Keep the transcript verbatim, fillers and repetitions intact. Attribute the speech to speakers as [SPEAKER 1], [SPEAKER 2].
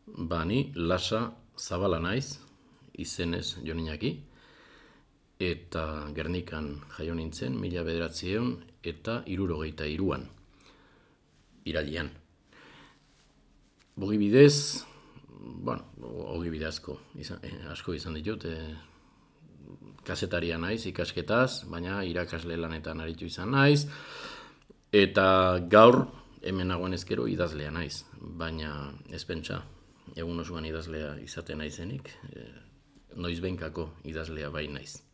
[SPEAKER 1] Ba, ni Lasa Zabala naiz, izenez Joninaki, eta Gernikan jaio nintzen, mila bederatziehun eta hirurogeita hiruan, irailean. Ogibidez, bueno, ogibide asko, izan, eh, asko izan ditut, eh, kazetaria naiz ikasketaz, baina irakasle lanetan aritu izan naiz, eta gaur hemen nagoen ezkero idazlea naiz, baina ez pentsa, egun osoan idazlea izaten naizenik, eh, noizbehinkako idazlea bai naiz.